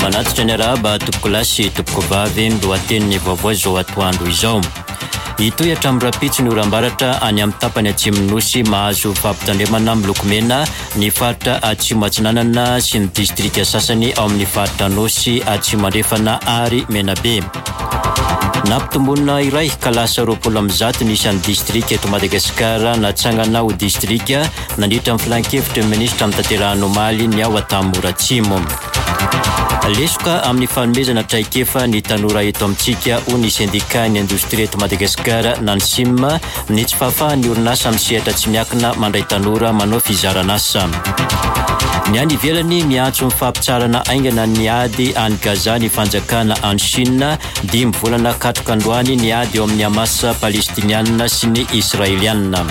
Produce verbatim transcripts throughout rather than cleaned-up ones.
Manatitra ny arahaba tompokolahy sy tompokovavy ny lohatenin'ny vaovao izao atoandro izao. Hitohy hatramin'ny rahampitso ny oram-baratra any amin'ny tapany atsimon'ny Nosy. Mahazo fampitandremana miloko mena ny faritra Atsimo Atsinanana sy ny distrika sasany ao amin'ny faritra Anôsy, Atsimo Andrefana ary Menabe. Nampitomboina iray ka lasa roapolo amby zato ny isan'ny distrika eto Madagasikara natsangana ho distrika nandritra ny filankevitry ny minisitra notanterahina omaly ny ao Antanimora Atsimo. Lesoka amin'ny fanomezana traikefa ny tanora eto amintsika, hoy ny sendikan'ny indostria eto Madagasikara na ny SIM, ny tsy fahafahan'ny orinasa amin'ny sehatra tsy miankina mandray tanora manao fizaran'asa. Ny any ivelany, miantso ny fampitsaharana haingana ny ady any Gaza ny fanjakana any Chine. Dimy volana katroka androany ny ady eo amin'ny Hamas palestiniana sy ny Israeliana.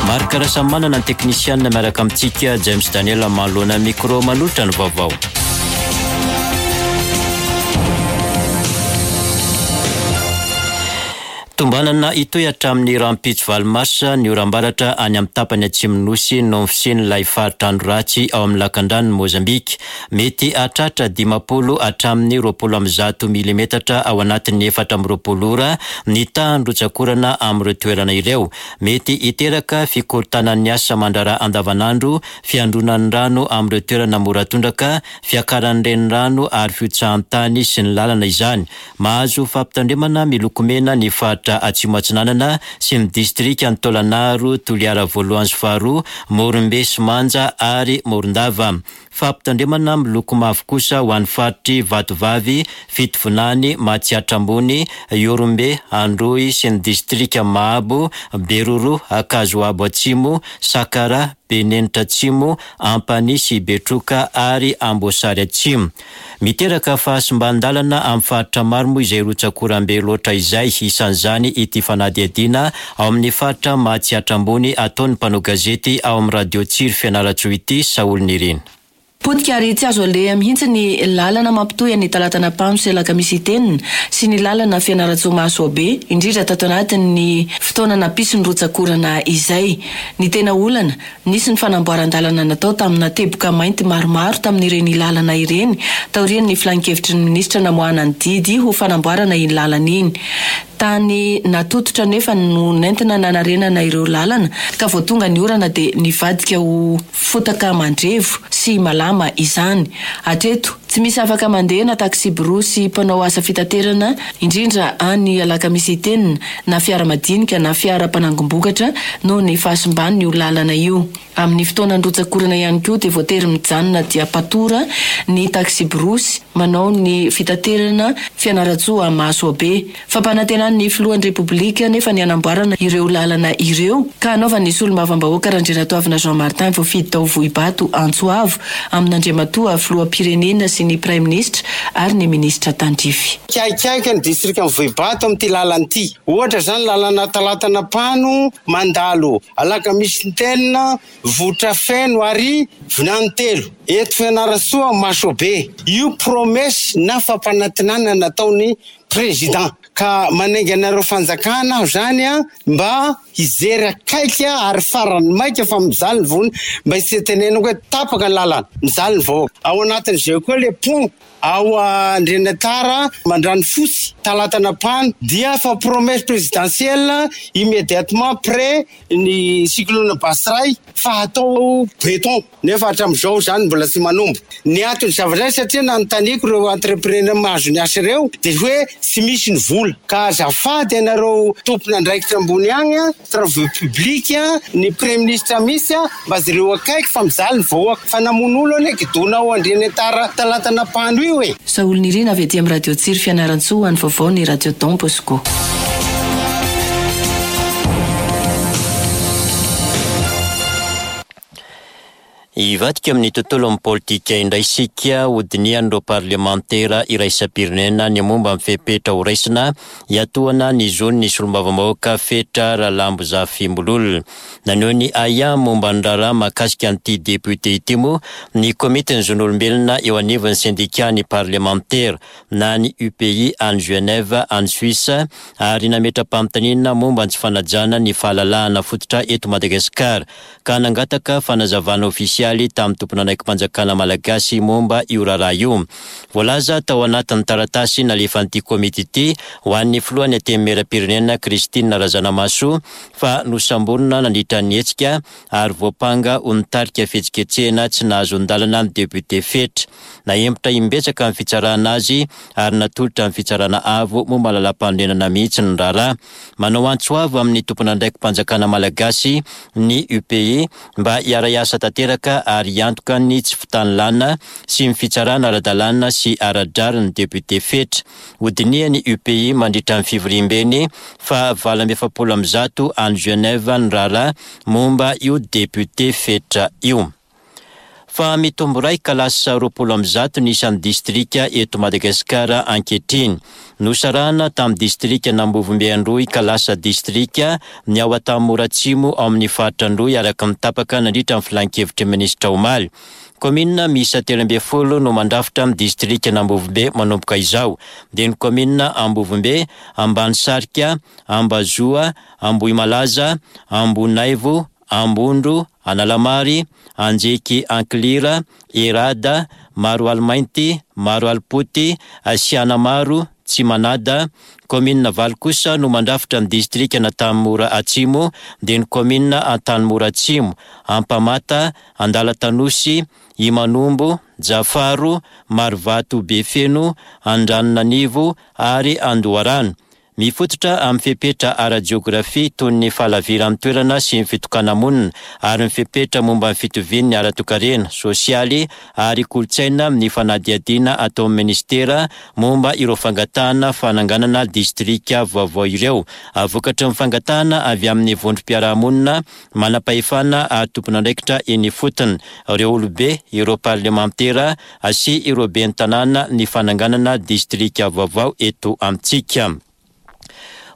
Marc Rasamanana ny teknisianina miaraka amintsika, James Daniel manoloana micro manolotra ny vaovao. Tombanana hitohy hatramin'ny rahampitso valo marsa ny oram-baratra any amin'ny tapany atsimon'ny Nosy noho ny fisian'ilay faritra andro ratsy ao amin'ny lakandranon'i Mozambika. Mety hahatratra dimampolo hatramin'ny roapolo amby zato milimetatra ao anatin'ny efatra amby roapolo ora ny tahan'ny rotsak'orana amin'ireo toerana ireo. Mety hiteraka fikorontanan'ny asa aman-draharaha andavanandro, fiandronan'ny rano amin'ireo toerana mora tondraka, fiakaran'ny renirano ary fihotsahan-tany sy ny lalana izany. Mahazo fampitandremana miloko mena ny faritra Atsimo Atsinanana sy ny distrikan'i Taolagnaro, Toliara voalohany sy faharoa, Morombe sy Manja ary Morondava. Fampitandremana miloko mavo kosa ho an'ny faritr'i Vatovavy, Fitovinany, Matsiatra Ambony, Ihorombe, Androy sy ny distrika Mahabo, Beroroha, Ankazoabo Atsimo, Sakaraha, Benenitra Atsimo, Ampanihy sy Betroka ary Amboasary Atsimo. Miteraka fahasimban-dalana amin'ny faritra maro moa izay rotsak'oram-be loatra izay, isan'izany ity fanadihadiana ao amin'ny faritra Matsiatra Ambony ataon'ny mpanao gazety ao amin'ny Radio Tsiry Fianarantsoa ity, Saholy Nirina. Potika ary tsy azo aleha mihitsy ny lalana mampitohy an'i Talatanapano sy Alakamisy Itenina sy ny lalana Fianarantsoa Mahasoabe, indrindra tato anatin'ny fotoana nampisy ny rotsak'orana izay. Ny tena olana, nisy ny fanamboaran-dalana natao tamina teboka mainty maromaro tamin'ireny lalana ireny taorian'ny filankevitry ny minisitra namoahana ny didy ho fanamboarana iny lalana iny. Tany natototra anefa no nentina nanarenana ireo lalana ka vao tonga ny orana dia nivadika ho fotaka mandrevo sy malama izany. Hatreto, tsy misy afaka mandeha na taksiborosy mpanao asa fitaterana, indrindra any Alakamisy Itenina, na fiara madinika na fiara mpanangom-bokatra noho ny fahasimban'io lalana io. Amin'ny fotoanan'ny rotsak'orana ihany koa dia voatery mijanona diam-patora ny taksiborosy manao ny fitaterana Fianarantsoa Mahasoabe. Fampanantenan'ny filohan'ny Repoblika anefa ny hanamboarana ireo lalana ireo ka hanaovan'ny solombavambahoaka Randrianatoavina Jean Martin voafidy tao Vohibato antso avo amin'Andriamatoa filoham-pirenena sy ny praiminisitra ary ny minisitra tandrify. Mikaikaika ny distrikan'i Vohibato amin'ity lalana ity. Ohatra izany lalana Talatanapano mandalo Alakamisy-Ntenina, Vohitrafeno ary Vinanitelo eto Fianarantsoa Masobe. Io promesse na fampanantenana nataon'ny Président. Ka manainga anareo fanjakana aho zany a mba hijery akaiky ary farany maika fa mijaly ny vohony mba tsy hitenenako hoe tapaka ny lalana, mijaly ny vahoaka. Ao anatin'izay koa le pont ao Andrianatara Mandranofotsy Talatanapano dia fa promesse présidentielle immédiatement près ny cyclone Batsirai fa hatao béton nefa hatramin'izao izany mbola tsy manomboka. Ny anton'ny zavatra izay satria nanontaniako ireo entrepreneur mahazo ny asa ireo dia hoe tsy misy ny vola ka azafady ianareo tompon'andraikitra ambony agny a, travaux publics, ny praiminisitra mihitsy mba jereo akaiky fa mijaly ny vahoaka fa namono olo anie kidona ao Andrianentara Talatanapano io e. Saholy Nirina avy aty amin'ny Radio Tsiry Fianarantsoa ho an'ny vaovao ny Radio Don Bosco. Hivadika amin'ny tontolon'ny politika indray isika, hodinihan'ireo parlemantera iraisam-pirenena ny momba ny fepetra horaisina hiatohana ny zon'ny solombavambahoaka Fetra Ralambozafimbololona. Naneho ny ahiahy momba ny raharaha mahakasika an'ity depiote ity moa ny komitin'ny zon'olombelona eo anivon'ny sendikan'ny parlemantera na ny U P I any Genève any Suisse ary nametra-panontaniana momba ny tsy fanajana ny fahalalahana fototra eto Madagasikara ka nangataka fanazavana ofisialy ofisialy tamin'ny tompon'andraiki-panjakana malagasy momba io raharaha io. Voalaza tao anatin'ny taratasy nalefan'ity komity ity ho an'ny filohan'ny Antenimierampirenena Christine Razanamahasoa fa nosamborina nandritra ny hetsika ary voampanga ho nitarika fihetsiketsehana tsy nahazoan-dalana ny député Fetra. Nahemotra imbetsaka ny fitsarana azy ary natolotra ny fitsarana avo momba ny lalàm-panorenana mihitsy ny raharaha. Manao antso avo amin'ny tompon'andraiki-panjakana malagasy ny U P I mba hiara-hiasa tanteraka ary hiantoka ny tsy fitanilana sy ny fitsarana ara-dalàna sy ara-drariny député Fetra. Hodinihan'ny U P I mandritra ny fivoriambeny fa valo amby efapolo amby zato any Genève ny raharaha momba io député Fetra io. Fa mitombo iray ka lasa roapolo amby zato ny isan'ny distrika eto Madagasikara ankehitriny. Nosarahana tamin'ny distrika Nambovombe Androy ka lasa distrika ny ao Antanimora Atsimo ao amin'ny faritra Androy araka ny tapaka nandritra ny filankevitry ny minisitra omaly. Kaominina miisa telo ambin'ny folo no mandrafitra amin'ny distrika Nambovombe manomboka izao. Dia ny kaominina Ambovombe, Ambanisarika, Ambazoa, Ambohimalaza, Ambonaivo, Ambondro, Analamary, Anjeky Ankilira, Erada, Maroalimainty, Maroalipoty, Sianamaro, Tsimanada. Kaominina valo kosa no mandrafitra ny distrika Antanimora Atsimo, dia ny kaominina Antanimora Atsimo, Ampamata, Andalatanosy, Imanombo, Jafaro, Marovato Befeno, Andranonanivo ary Andoharano. Mifototra amin'ny fepetra ara-jeografia toy ny fahalaviran'ny toerana sy ny fitokana-monina ary ny fepetra momba ny fitovian'ny ara-toekarena, sosialy ary kolontsaina amin'ny fanadihadiana ataon'ny ministera momba ireo fangatahana fananganana distrika vaovao ireo. Vokatry ny fangatahana avy amin'ny vondrom-piarahamonina, manam-pahefana ary tompon'andraikitra eny ifotony, ireo olobe, ireo parlemantera sy ireo ben'ny tanàna ny fananganana distrika vaovao eto amintsika.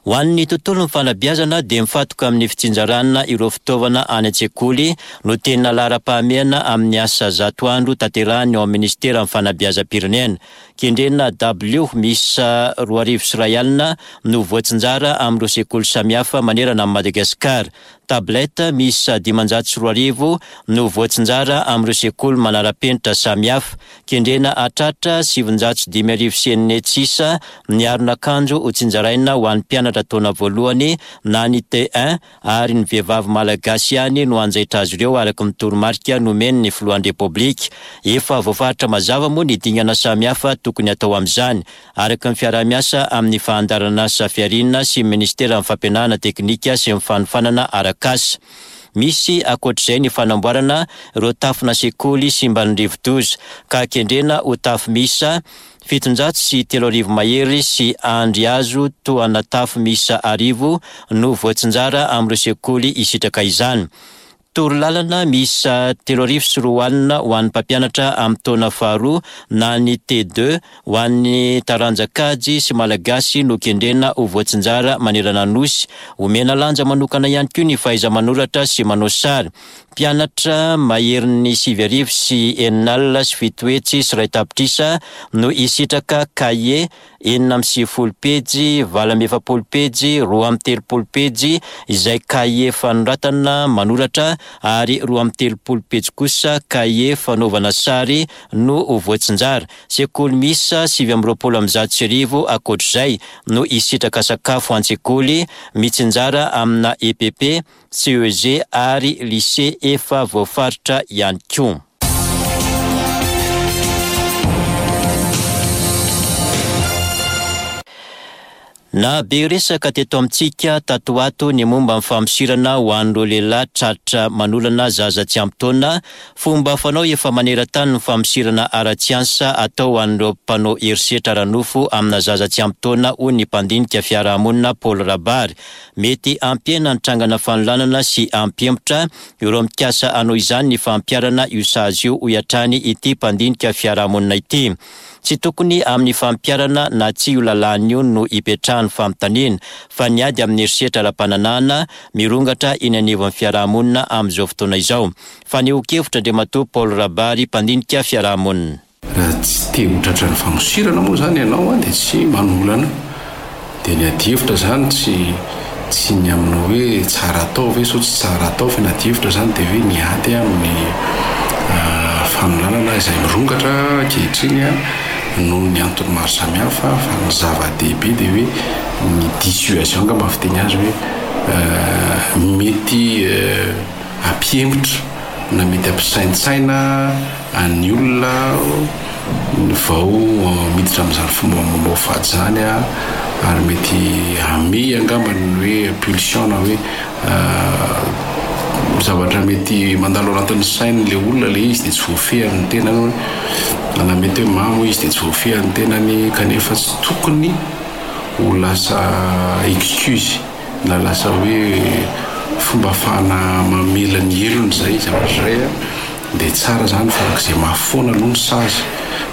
Ho an'ny tontolon'ny fanabeazana dia mifantoka amin'ny fitsinjarana ireo fitaovana any an-tsekoly no tena laharam-pahamehana amin'ny asa zato andro tanterahany ao amin'ny ministeran'ny fanabeazam-pirenena. Kendrena W miisa roa arivo sy iray alina no voatsinjara amin'ireo sekoly samihafa manerana an'i Madagasikara. Tablette miisa dimanjato sy roa arivo no voatsinjara amin'ireo sekoly manara-penitra samihafa. Kendrena hatratra sivinjato sy dimy arivo sy enina hetsy isa ny aron'akanjo ho tsinjaraina ho an'ny mpianatra taona voalohany na ny T un ary ny vehivavy malagasy ihany no hanjaitra azy ireo araka ny toromarika nomen'ny filohan'ny Repoblika. Efa voafaritra mazava moa ny dingana samihafa tokony atao amin'izany araka ny fiaraha-miasa amin'ny fandaharanasa fiariana sy ny ministeran'ny fampianarana teknika sy ny fanofanana arak'asa. Misy ankoatr'izay ny fanamboarana ireo tafona sekoly simban'ny rivodoza ka kendrena ho tafo miisa fitonjato sy telo arivo mahery sy andry hazo tohana tafo miisa arivo no voatsinjara amin'ireo sekoly hisitraka izany. Torolalana miisa telo arivo sy roa alina ho an'ny mpampianatra amin'ny taona faharoa na ny T deux ho an'ny taranja kajy sy malagasy no kendrena ho voatsinjara manerana ny nosy. Omena lanja manokana ihany koa ny fahaiza-manoratra sy manao sary. Mpianatra maherin'ny sivy arivo sy enina alina sy fito hetsy sy iray tapitrisa no hisitraka kahie enina amby sivifolo pejy, valo amby efapolo pejy, roa amby telopolo pejy izay kahie fanoratana manoratra ary roa amby telopolo pejy kosa kahie fanaovana sary no ho voatsinjara. Sekoly miisa sivy amby roapolo amby zato sy arivo ankoatr'izay no hisitraka sakafo an-tsekoly mitsinjara amina E P P, C E G ary lycée efa voafaritra ihany koa. Na be resaka teto amintsika tato ato ny momba ny famosirana ho an'ireo lehilahy tratra manolana zaza tsy ampy taona, fomba fanao efa maneran-tany ny famosirana ara-tsiansa atao ho an'ireo mpanao herisetra ara-nofo amina zaza tsy ampy taona hoy ny mpandinika fiarahamonina Paul Rabary. Mety hampihena ny trangana fanolanana sy hampihemotra ireo mikasa hanao izany ny fampiharana io sazy io hoy hatrany ity mpandinika fiarahamonina ity. Tsy tokony amin'ny fampiharana na tsy io lalàna io no hipetrahan'ny fanontaniana fa ny ady amin'ny herisetra ara-pananahana mirongatra eny anivon'ny fiarahamonina amin'izao fotoana izao. Fanehoan-kevitra Andriamatoa Paul Rabary, mpandinika fiarahamonina. Raha tsy te ho tratran'ny famosirana moa izany ianao dia tsy manolana. Dia ny adihevitra izany tsy, tsy ny amin'ny hoe tsara atao ve sao tsy tsara atao, fa ny adihevitra izany dia hoe ny ady amin'ny, fanolanana izay mirongatra ankehitriny a noho ny antony maro samihafa. Fa ny zava-dehibe dia hoe ny dissuasion angamba fiteny azy, hoe mety ampihemotra na mety ampisaintsaina any olona vao miditra amin'izany fomba mamoafady zany a ary mety ame angamba ny hoe pulsion na hoe zavatra mety mandalo anatin'ny sainy le olona le izy, de tsy voafehany ny tenany, na mety hoe mamo izy de tsy voafehany tenany, kanefa tsy tokony ho lasa excuse na lasa hoe fomba ahafahana mamela ny helony zay zavatra zay a de tsara zany farak'izay mafy foana aloha ny sazy,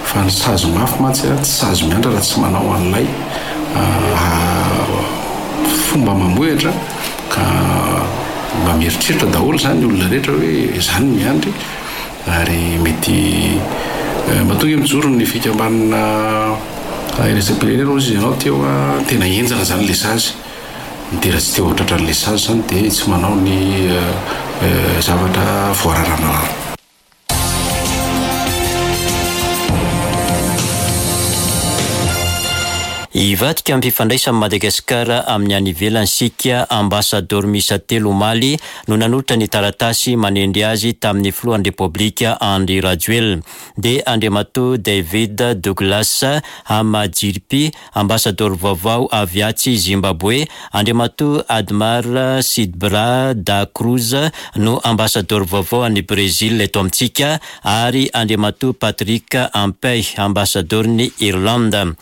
fa ny sazy mafy mantsy a tsy sazy miandra raha tsy manao an'ilay fomba mamohitra, ka mba mieritreritra daholo zany ny olona rehetra hoe zany miandry. Ary mety mahatonga mijoro ny fikambanana iraisam-pirenena ozy izy ianao teo a tena enjana zany le sazy, de raha tsy teo tratran'le sazy zany de tsy manao ny zavatra voararanarana. Hivadika amin'ny fifandraisan'i Madagasikara amin'ny any ivelany sika. Ambassadeur miisa telo omaly no nanolotra ny taratasy manendry azy tamin'ny filohan'ny Repoblika Andry Rajoelina, dia Andriamatoa David Douglas Hamadziripi, ambassadeur vaovao avy atsy Zimbabwe, Andriamatoa Admar Sidbra da Cruz no ambassadeur vaovao any Brésil eto amintsika, ary Andriamatoa Patrick Ampey, ambassadeur-ny Irlande.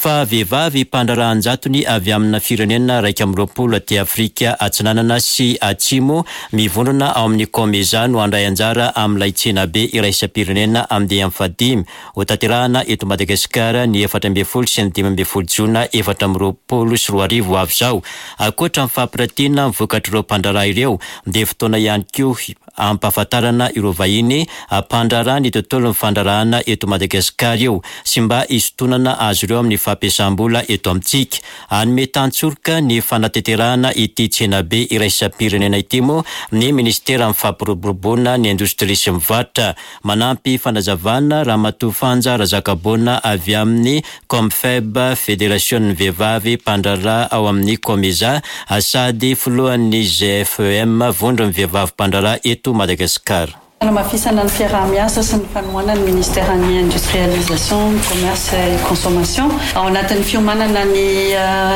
Fa vehivavy mpandraharaha an-jatony avy amina firenena raika amby roapolo aty Afrika Atsinanana sy Atsimo mivondrona ao amin'ny COMESA no handray anjara amin'ilay tsenabe iraisam-pirenena andiany fahadimy ho tanterahana eto Madagasikara ny efatra ambin'ny folo sy ny dimy ambin'ny folo jona efatra amby roapolo sy roa arivo avy izao. Ankoatra ny fampiratiana ny vokatr'ireo mpandraharaha ireo, dia fotoana ihany koa ampahafantarana ireo vahiny mpandraharaha ny tontolon'ny fandraharahana eto Madagasikara io sy mba hisintonana azy ireo amin'ny fampiasam-bola eto amintsika. Hanome tantsoroka ny fanatanterahana ity tsenabe iraisam-pirenena ity moa ny ministeran'ny fampiroboroboana ny indostria sy ny varotra. Manampy fanazavana Ramatoa Fanja Razakaboana avy amin'ny Comfeb, Federasion'ny vehivavy mpandraharaha ao amin'ny COMESA, sady filohan'ny G F E M, vondron'ny vehivavy mpandraharaha eto Madagasikara. Fanamafisana ny fiaraha-miasa sy ny fanohanana ny ministeran'ny Industrialisation, Commerce et Consommation ao anatin'ny fiomanana ny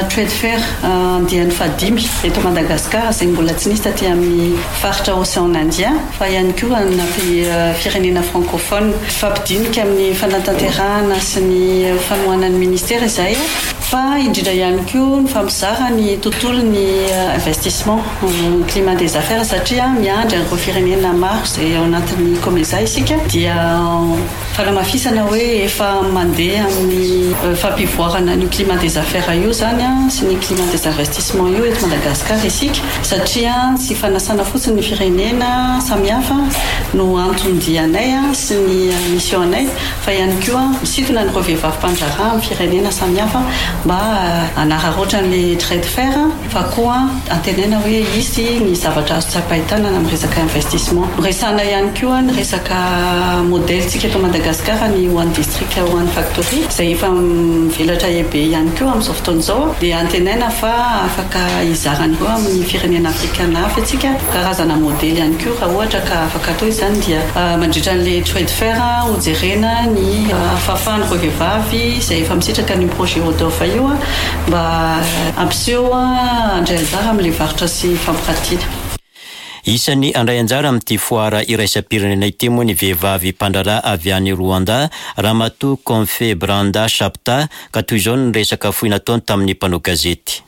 trade fair andiany fahadimy eto Madagasikara, izay mbola tsy nisy taty amin'ny faritra Océan Indien fa ihany koa na firenena francophone. Fampidinika amin'ny fanatanterahana sy ny fanohanan'ny ministera izay, fa indrindra ihany koa ny fampizara ny tontolo ny investissement, climat des affaires, satria miandry an'ireo firenena maro izay ao anatin'ny COMESA isika, dia fanamafisana hoe efa mandeha amin'ny fampivoarana ny climat des affaires io zany a sy ny climat des investissements io eto Madagasikara isika, satria tsy fanasana fotsiny ny firenena samihafa no anton-dianay a sy ny mission anay, fa ihany koa misintona an'ireo vehivavy mpandraharaha amin'ny firenena samihafa mba hanararaotra an'le trade fair, fa koa antenaina hoe isy ny zavatra azo tsapain-tanana amin'ny resaka investissement. Resahana ihany koa ny resaka modèle tsika eto Madagasikara, ny One District One Factory, izay efa mivelatra ebe ihany koa amin'izao fotoana izao, dia antenaina fa afaka hizaran'ireo amin'ny firenena afrikana hafa atsika karazana modèle ihany koa raha ohatra ka afaka atao izany. Dia mandritra an'le trade fair hojerena ny fahafahan'ireo vehivavy izay efa misitraka ny projet ODOF io mba hampiseho, handray anjara amin'le varotra sy fampiratiana. Isan'ny handray anjara amin'ity foara iraisam-pirenena ity moa ny vehivavy mpandraharaha avy any Rwanda, Ramatoa Confe Branda Chapta, ka toy izao ny resaka fohy nataony tamin'ny mpanao gazety.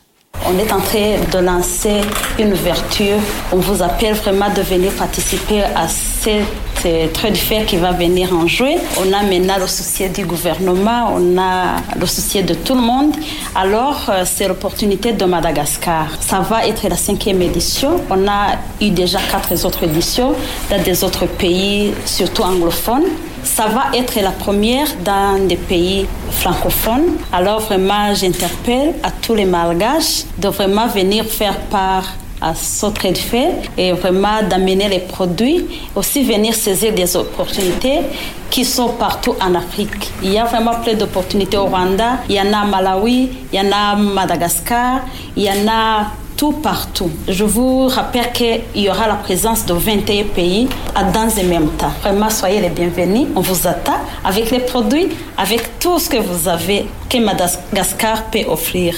On est en train de lancer une ouverture. On vous appelle vraiment de venir participer à cette trade fair qui va venir en juin. On a maintenant le soutien du gouvernement, on a le soutien de tout le monde. Alors, c'est l'opportunité de Madagascar. Ça va être la cinquième édition. On a eu déjà quatre autres éditions dans des autres pays, surtout anglophones. Ça va être la première dans des pays francophones. Alors vraiment, j'interpelle à tous les Malgaches de vraiment venir faire part à ce trade fair et vraiment d'amener les produits, aussi venir saisir des opportunités qui sont partout en Afrique. Il y a vraiment plein d'opportunités au Rwanda, il y en a à Malawi, il y en a à Madagascar, il y en a tout partout. Je vous rappelle qu'il y aura la présence de vingt et un pays dans le même temps. Vraiment, soyez les bienvenus. On vous attend avec les produits, avec tout ce que vous avez, que Madagascar peut offrir.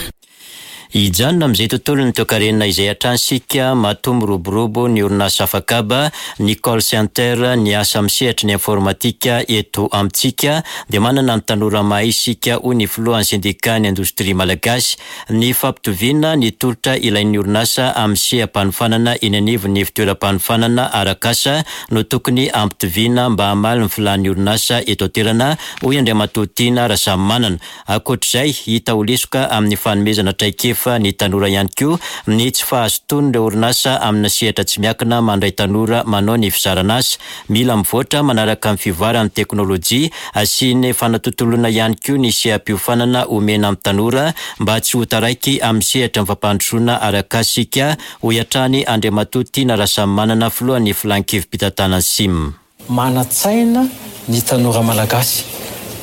Hijanona amin'izay tontolon'ny toekarena izay hatrany isika. Matoa miroborobo ny orinasa afakaba, ny call center, ny asa amin'ny sehatry ny informatika eto amintsika, dia manana ny tanora mahay isika, hoy ny filohan'ny syndicat ny indostria malagasy. Ny fampitoviana ny tolotra ilain'ny orinasa amin'ny seha-panofanana eny anivon'ny fitoeram-panofanana arak'asa no tokony ampitoviana mba hamaly ny filan'ny orinasa eto an-toerana, hoy Andriamatoa Tiana Rasamimanana. Ankoatr'izay, hita ho lesoka amin'ny fanomezana traikefa ny tanora ihany koa ny tsy fahazotoan'ireo orinasa amina sehatra tsy miankina mandray tanora manao ny fizaran'asa. Mila mivoatra manaraka amin'ny fivoaran'ny teknôlôjia sy ny fanatontoloana ihany koa ny seha-piofanana omena amin'ny tanora mba tsy ho taraiky amin'ny sehatra ny fampandrosoana arak'asa isika, hoy hatrany Andriamatoa Tiana Rasamimanana, filohan'ny filan-kevi-pitantanana SIM. Manan-tsaina ny tanora malagasy,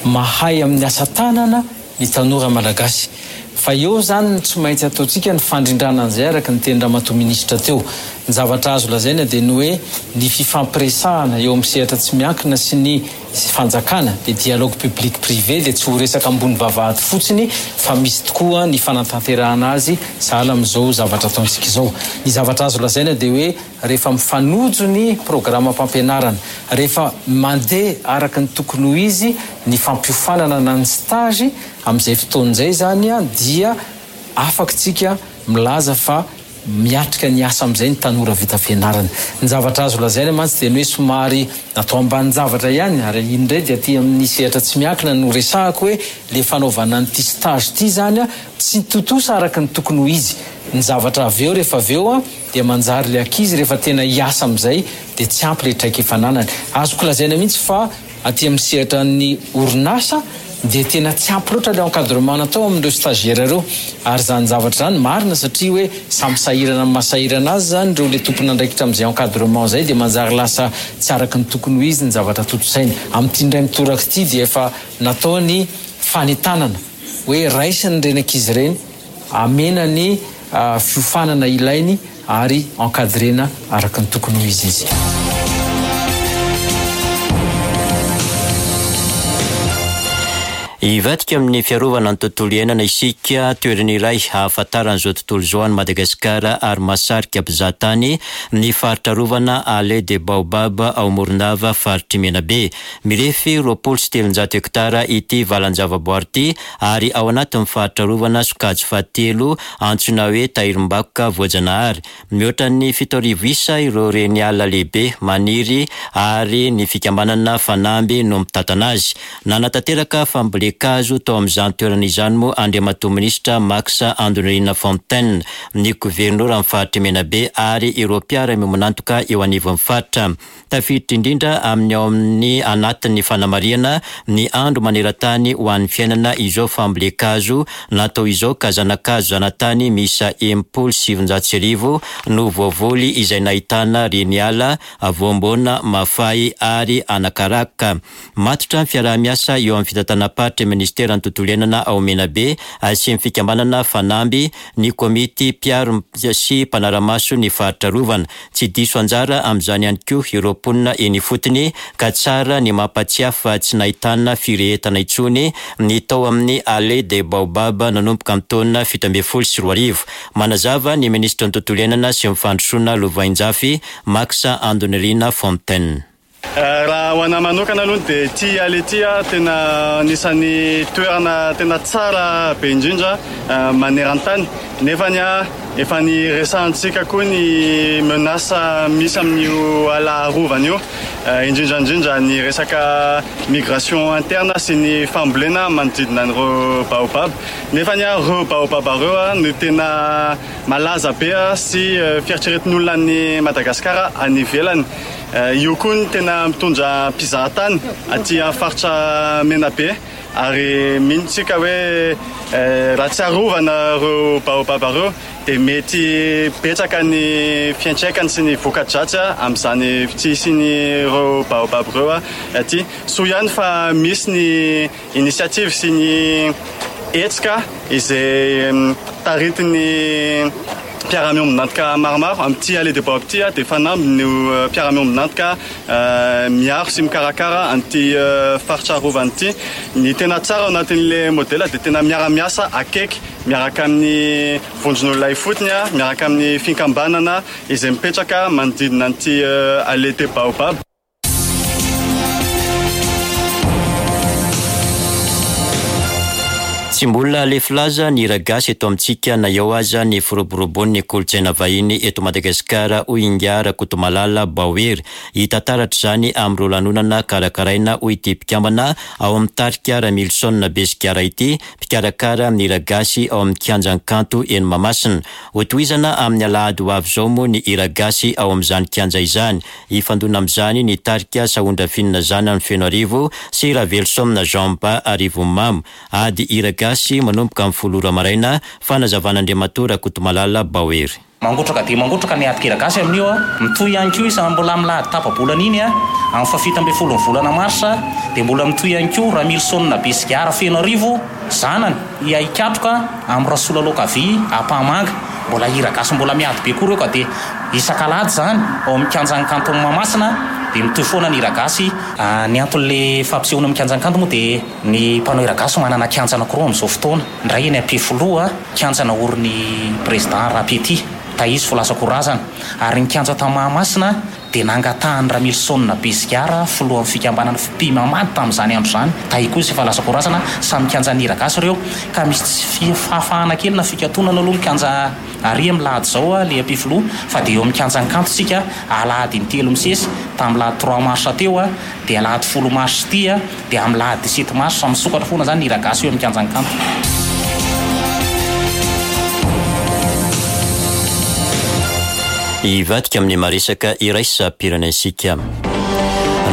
mahay amin'ny asa tanana ny tanora malagasy. Fa eo zany tsy maintsy ataontsika ny fandrindrana an'izay araka ny teny Ramatoa ministra teo. Ny zavatra azo lazaina dia ny hoe ny fifampiresahana eo amin'ny sehatra tsy miankina sy ny fanjakana, dia dialogue public privé, dia tsy ho resaka ambony vavahady fotsiny fa misy tokoa ny fanatanterahana azy sahala amin'izao zavatra ataontsika izao. Ny zavatra azo lazaina dia hoe rehefa mifanojo ny programme-pampianarana, rehefa mandeha araka ny tokony ho izy ny fampiofanana na ny stage, amin'izay fotoana izay zany a dia afaka tsika milaza fa miatrika ny asa amin'izay ny tanora vita fianarana. Ny zavatra azo lazaina mantsy dia ny hoe somary natao ambanin-javatra ihany, ary iny indray dia aty amin'ny sehatra tsy miankina no resahako hoe le fanaovana an'ity stage ity zany a tsy tontosa araka ny tokony ho izy. Ny zavatra avy eo rehefa avy eo a dia manjary le ankizy rehefa tena hiasa amin'izay dia tsy ampy le traikefa ananany. Azoko lazaina mihitsy fa aty amin'ny sehatra ny orinasa dia tena tsy ampy loatra le encadrement natao amin'ireo stagiaire ireo, ary zany zavatra zany marina satria hoe samy sahirana amin'ny mahasahirana azy zany ireo le tompon'andraikitra amin'izay encadrement zay, dia manjary lasa tsy araka ny tokony ho izy ny zavatra tontosainy. Amin'ity indray mitoraka ity dia efa natao ny fanentanana hoe raisiny ireny ankizy ireny, amena ny fiofanana ilainy ary encadrena araka ny tokony ho izy izy. Hivadika amin'ny fiarovana ny tontolo iainana isika, toerana iray ahafantaran'izao tontolo izao an'i Madagasikara ary mahasarika mpizahatany ny faritra arovana Allée des Baobab ao Morondava, faritry Menabe. Mirefy roapolo sy telonjato hektara ity valan-javaboary ity ary ao anatin'ny faritra arovana sokajy fahatelo antsoina hoe tahirim-bakoka voajanahary. Mihoatra ny fito arivo isa ireo reny ala lehibe maniry ary ny fikambanana Fanamby no mitantana azy. Nanatanteraka fambolen-kazo tao amin'izany toerana izany moa Andriamatoa Minisitra Max Andonirina Fontaine, ny governoran'ny faritry Menabe ary ireo mpiara-miombon'antoka eo anivon'ny faritra. Tafiditra indrindra amin'ny ao amin'ny anatin'ny fanamarihana ny andro maneran-tany ho an'ny fiainana izao fambolen-kazo natao izao, ka zanakazo zanatany miisa enimpolo sy sivinjato sy arivo no voavoly izay nahitana reny ala, voamboana, mafay ary anakaraka. Matotra ny fiaraha-miasa eo amin'ny fitantanam-paritry ny ministeran'ny tontolo iainana ao Menabe sy ny fikambanana Fanamby, ny komity mpiaro sy mpanara-maso ny faritra arovana. Tsy diso anjara amin'izany ihany koa ireo mponina eny ifotony, ka tsara ny mampatsiahy fa tsy nahitana firehetana intsony ny tao amin'ny Allée des Baobab nanomboka amin'ny taona fito ambin'ny folo sy roa arivo. Manazava ny minisitry ny tontolo iainana sy ny fandrosoana Lovainjafy, Max Andonirina Fontaine. Raha ho anahy manokana aloha dia ity allée ity a tena anisan'ny toerana tena tsara be indrindra maneran-tany, nefa ny a efa niresahantsika koa ny menace misy amin'io ala arovana io, indrindra indrindra ny resaka migration interne sy ny fambolena manodidina an'ireo baobab, nefa ny a ireo baobab ireo a no tena malaza be sy fieritreretin'olona any Madagasikara any ivelany. Io koa no tena mitondra mpizahatany aty amin'ny faritra Menabe Ary mino tsika hoe raha tsy arovana ireo baobab ireo dia mety betsaka ny fiantraikany sy ny voka-dratsy amin'izany tsy hisian'ireo baobab ireo aty. Soa ihany fa misy ny initiative sy ny hetsika izay taritin'ny mpiara-miombon'antoka maromaro amin'ity allée des baobab ity, dia fanamby ny mpiara-miombon'antoka miaro sy mikarakara an'ity faritra arovana ity. Ny tena tsara ao anatin'ilay modèle dia tena miara-miasa akaiky miaraka amin'ny vondron'olona ifotony, miaraka amin'ny fikambanana izay mipetraka manodidina an'ity allée des baobab. Tsy mbola lefy laza ny hira gasy eto amintsika na eo aza ny firoborobon'ny kolontsaina vahiny eto Madagasikara, hoy Ingahy Rakotomalala Baohery. Hita taratra izany amin'ireo lanonana karakaraina, hoy ity mpikambana ao amin'ny tarika Ramilison Besigara ity, mpikarakara ny hira gasy ao amin'ny kianjan'ny kanto eny Mahamasina. Hotohizana amin'ny alahady ho avy izao moa ny hira gasy ao amin'izany kianja izany. Hifandona amin'izany ny tarika Sahondrafinina Zanany Fenoarivo sy Raveloson Jean Ba Arivonimamo. Ady hira gasy manomboka amin'ny folo ora maraina, fanazavan'Andriamatoa Rakotomalala Baohery. Mangotraka dia mangotraka ny ady hira gasy amin'io a. Mitohy ihany koa izy mbola amin'ny lahady tapa-bolana iny a, amin'ny fahafito ambin'ny folon'ny volana marsa dia mbola mitohy ihany koa Ramilison Besigara Fenoarivo zanany hiaikatroka amin'ny Rasolaloakavy Ampahamanga. Mbola hira gasy mbola miady be koa ireo ka dia isak'alahady izany ao amin'ny kianjan'ny kanton'i Mahamasina dia mitohy foana ny hira gasy. Ny anton'ilay fampisehoana amin'ny kianjan'ny kanto moa dia ny mpanao hira gasy manana kianja anankiroa amin'izao fotoana. Indray eny Ampefiloha, kianja naorin'ny président Rapety, Taizy Folasakorazana, ary ny kianja tao Mahamasina dia nangatahan'i Ramilison Besigara, filohan'ny fikambanana Fipimamady tamin'izany andro izany, Tahizy koa izy efa lasa-korazana, samy kianjan'ny hira gasy ireo, ka misy tsy fahafahana kely na fikatonana aloha ny kianja ary amin'ny lahady izao le Ampefiloha, fa dia eo amin'ny kianjan'ny kanto isika alahady intelo misesy, tamin'ny lahady trois mars teo dia alahady folo mars ity dia amin'ny lahady dix-sept mars misokatra foana izany ny hira gasy eo amin'ny kianjan'ny kanto. Hivadika amin'ny maresaka iraisam-pirenentsika.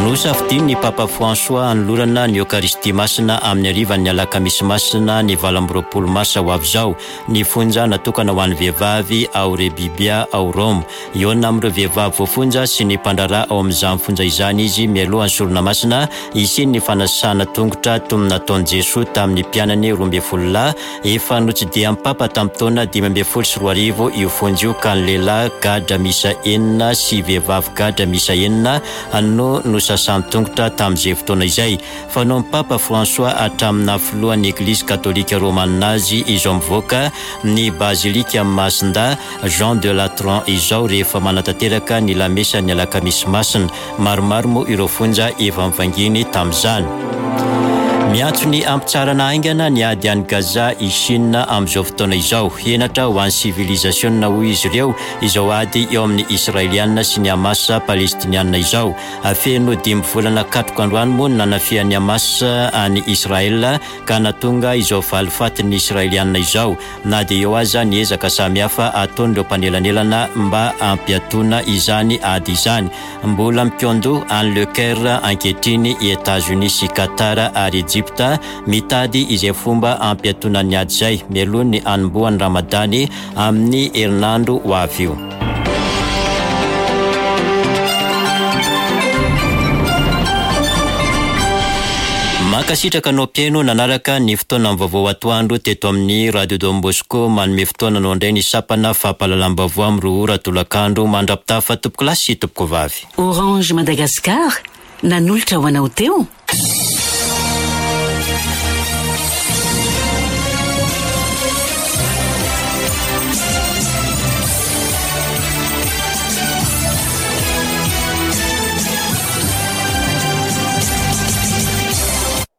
Nosafidian'ny Papa François hanolorana ny Eokaristia Masina amin'ny harivan'ny alakamisy masina ny valo amby roapolo marsa ho avy izao. Ny fonja natokana ho an'ny vehivavy ao Rebibia ao Roma. Hihaona amin'ireo vehivavy voafonja sy ny mpandraharaha ao amin'izany fonja izany izy mialohan'ny sorona masina hisian'ny fanasana tongotra toy ny nataon'i Jesoa tamin'ny mpianany roa ambin'ny folo lahy. Efa notsidihan'ny Papa tamin'ny taona dimy ambin'ny folo sy roa arivo io fonja io ka ny lehilahy gadra miisa enina sy vehivavy gadra miisa enina no nosasan'ny tongotra tamin'izay fotoana izay. Fanaon'ny Papa François hatramin'ny filohan'ny Eglizy katolika romanina azy izao mivoaka ny bazilika Masinda Jean de Latran izao rehefa manatanteraka ny lamesan'ny alakamisy masina. Maromaro moa ireo fonja efa mivanginy tamin'izany. Miantso ny hampitsarana haingana ny ady any Gaza i Chine amin'izao fotoana izao. Henatra ho an'ny sivilizasiona hoy izy ireo izao ady eo amin'ny Israeliana sy ny Hamas palestiniana izao. Feno dimy volana katroka androany moa ny nanafihan'ny Hamas any Israel ka nahatonga izao valifatin'ny Israeliana izao. Na dia eo aza ny ezaka samihafa ataon'ireo mpanelanelana mba hampiatoana izany ady izany. Mbola mikondo any Le Caire ankehitriny i États-Unis sy Qatar ary Egypta mitady izay fomba hampiatoana ny ady izay mialoha ny hanombohan'ny Ramadany amin'ny herinandro ho avy io. Mankasitraka anao mpihaino nanaraka ny fotoana vaovao atoandro teto amin'ny Radio Don Bosco. Manome fotoana anao indray ny sampana fampahalalam-baovao amin'ny roa ora tolakandro. Mandra-pitafa tompoko lahy sy tompoko vavy. Orange Madagascar nanolotra ho anao teo.